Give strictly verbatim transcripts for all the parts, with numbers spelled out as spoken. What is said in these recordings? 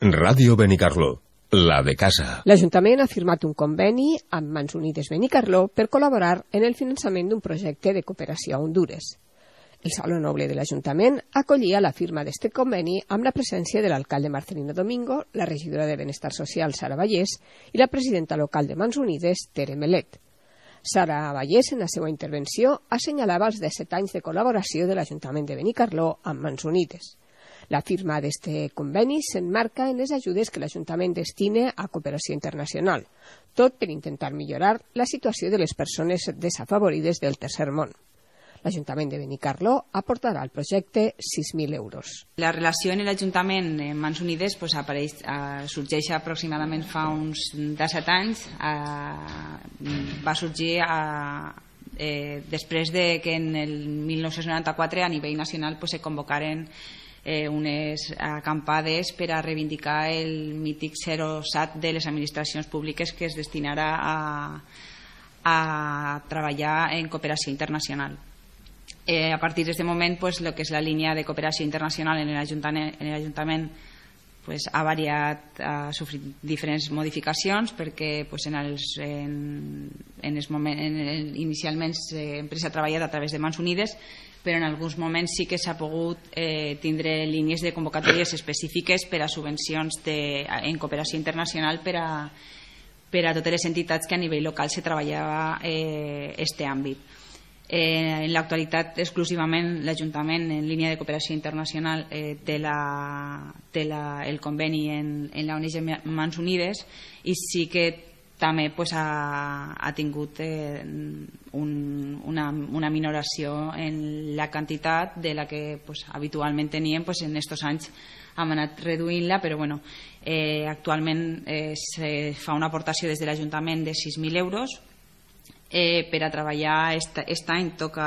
Ràdio Benicarló, la de casa. L'Ajuntament ha firmat un conveni amb Mans Unides Benicarló per col·laborar en el finançament d'un projecte de cooperació a Hondures. El Saló Noble de l'Ajuntament acollia la firma d'aquest conveni amb la presència de l'alcalde Marcelino Domingo, la regidora de Benestar Social, Sara Vallès, i la presidenta local de Mans Unides, Tere Melet. Sara Vallès, en la seva intervenció, assenyalava els disset anys de col·laboració de l'Ajuntament de Benicarló amb Mans Unides. La firma d'aquest conveni s'emmarca en les ajudes que l'Ajuntament destina a cooperació internacional, tot per intentar millorar la situació de les persones desafavorides del tercer món. L'Ajuntament de Benicarló aportarà al projecte sis mil euros. La relació en l'Ajuntament en Mans Unides pues, apareix, eh, sorgeix aproximadament fa uns disset anys. Eh, va sorgir eh, eh, després de que en el mil nou-cents noranta-quatre a nivell nacional pues, se convocaren eh, unes acampades per a reivindicar el mític zero sat de les administracions públiques que es destinarà a, a treballar en cooperació internacional. Eh, a partir d'aquest moment, pues, lo que és la línia de cooperació internacional en l'Ajuntament pues, ha variat, ha sofrit diferents modificacions perquè pues, en els, en, en els moment, en el, inicialment sempre s'ha treballat a través de Mans Unides, però en alguns moments sí que s'ha pogut eh, tindre línies de convocatòries específiques per a subvencions de, en cooperació internacional per a, per a totes les entitats que a nivell local se treballava eh, este àmbit. Eh, en l'actualitat, exclusivament, l'Ajuntament, en línia de cooperació internacional, eh, té, la, té la, el conveni en, en la O N G Mans Unides i sí que també pues, ha, ha tingut eh, un, una, una minoració en la quantitat de la que pues, habitualment teníem pues, en aquests anys hem anat reduint-la, però bueno, eh, actualment eh, se fa una aportació des de l'Ajuntament de sis mil euros. Eh, per a treballar aquest any toca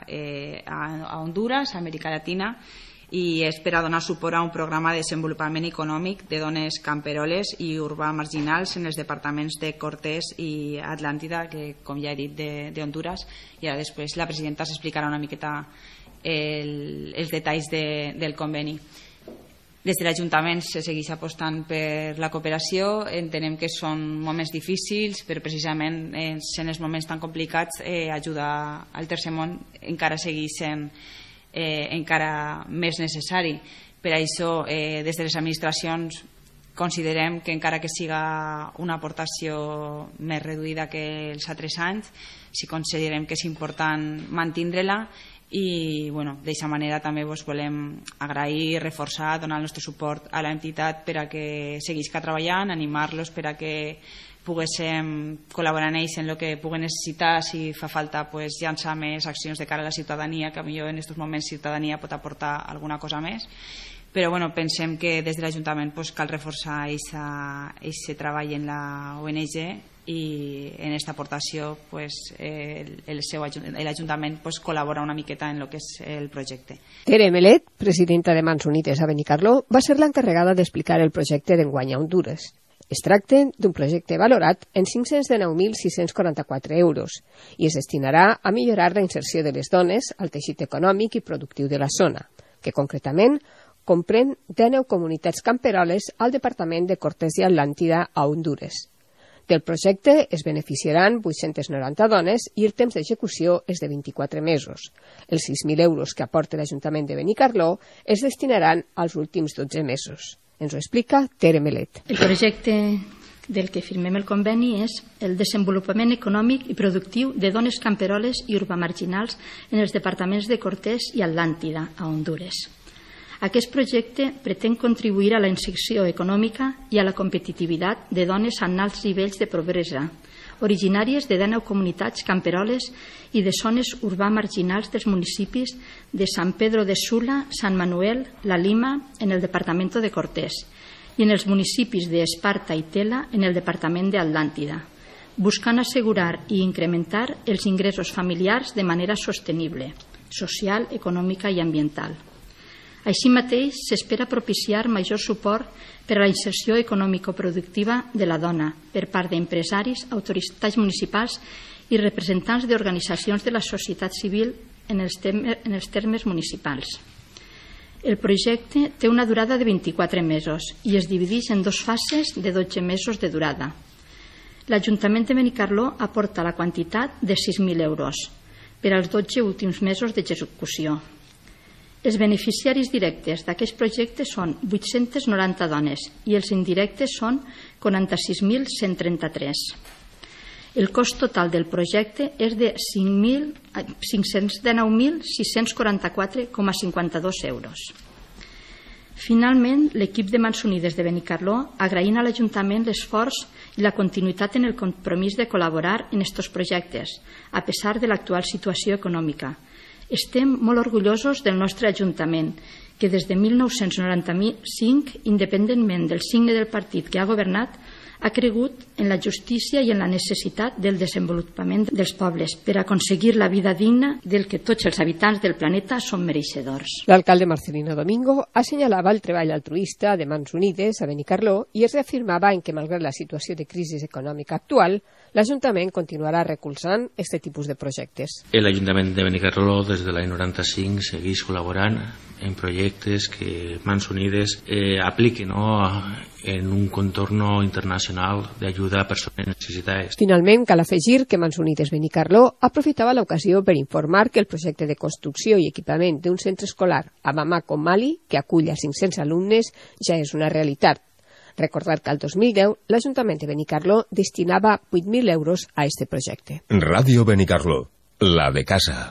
eh, a, a Hondures, a Amèrica Llatina, i és per a donar suport a un programa de desenvolupament econòmic de dones camperoles i urbà marginals en els departaments de Cortés i Atlàntida, que com ja he dit de, de Hondures, i ara després la presidenta s'explicarà una miqueta el, els detalls de, del conveni. Des de l'Ajuntament se segueix apostant per la cooperació. Entenem que són moments difícils, però precisament en els moments tan complicats eh, ajudar al tercer món encara segueix sent eh, encara més necessari. Per això, eh, des de les administracions considerem que encara que siga una aportació més reduïda que els altres anys, sí considerem que és important mantindre-la. I bueno, d'aquesta manera també vos volem agrair i reforçar, donar el nostre suport a l'entitat per a que seguisca treballant, animar-los per a que poguéssim col·laborar en ells en el que puguen necessitar, si fa falta pues, llançar més accions de cara a la ciutadania, que potser en aquests moments la ciutadania pot aportar alguna cosa més. Però bueno, pensem que des de l'Ajuntament pues, cal reforçar aquest treball en la O N G i en aquesta aportació pues, el, el seu, l'Ajuntament pues, col·labora una miqueta en el que és el projecte. Tere Melet, presidenta de Mans Unides a Benicarló, va ser l'encarregada d'explicar el projecte d'enguany a Hondures. Es tracta d'un projecte valorat en cinc-cents dinou mil sis-cents quaranta-quatre euros i es destinarà a millorar la inserció de les dones al teixit econòmic i productiu de la zona, que concretament comprèn dinou comunitats camperoles al departament de Cortés i Atlàntida a Hondures. Del projecte es beneficiaran vuit-centes noranta dones i el temps d'execució és de vint-i-quatre mesos. Els sis mil euros que aporta l'Ajuntament de Benicarló es destinaran als últims dotze mesos. Ens ho explica Tere Melet. El projecte del que firmem el conveni és el desenvolupament econòmic i productiu de dones camperoles i urbamarginals en els departaments de Cortés i Atlàntida, a Hondures. Aquest projecte pretén contribuir a la inserció econòmica i a la competitivitat de dones amb alts nivells de pobresa, originàries de dinou comunitats camperoles i de zones urbà marginals dels municipis de San Pedro de Sula, Sant Manuel, La Lima, en el departament de Cortés, i en els municipis d'Esparta i Tela, en el departament d'Atlàntida, buscant assegurar i incrementar els ingressos familiars de manera sostenible, social, econòmica i ambiental. Així mateix, s'espera propiciar major suport per a la inserció econòmico-productiva de la dona per part d'empresaris, autoritats municipals i representants d'organitzacions de la societat civil en els termes municipals. El projecte té una durada de vint-i-quatre mesos i es divideix en dues fases de dotze mesos de durada. L'Ajuntament de Benicarló aporta la quantitat de sis mil euros per als dotze últims mesos d'execució. Els beneficiaris directes d'aquest projecte són vuit-centes noranta dones i els indirectes són quaranta-sis mil cent trenta-tres. El cost total del projecte és de cinc-cents dinou mil sis-cents quaranta-quatre coma cinquanta-dos euros. Finalment, l'equip de Mans Unides de Benicarló agraint a l'Ajuntament l'esforç i la continuïtat en el compromís de col·laborar en aquests projectes, a pesar de l'actual situació econòmica. Estem molt orgullosos del nostre Ajuntament, que des de mil nou-cents noranta-cinc, independentment del signe del partit que ha governat, ha cregut en la justícia i en la necessitat del desenvolupament dels pobles per aconseguir la vida digna del que tots els habitants del planeta són mereixedors. L'alcalde Marcelino Domingo assenyalava el treball altruista de Mans Unides a Benicarló i es reafirmava en que, malgrat la situació de crisi econòmica actual, l'Ajuntament continuarà recolzant aquest tipus de projectes. L'Ajuntament de Benicarló des de l'any noranta-cinc segueix col·laborant en projectes que Mans Unides eh, apliquen no, en un contorno internacional d'ajuda a persones necessitades. Finalment, cal afegir que Mans Unides Benicarló aprofitava l'ocasió per informar que el projecte de construcció i equipament d'un centre escolar a Bamako, Mali, que acull a cinc-cents alumnes, ja és una realitat. Recordar que al dos mil deu l'Ajuntament de Benicarló destinava vuit mil euros a aquest projecte. Ràdio Benicarló, la de casa.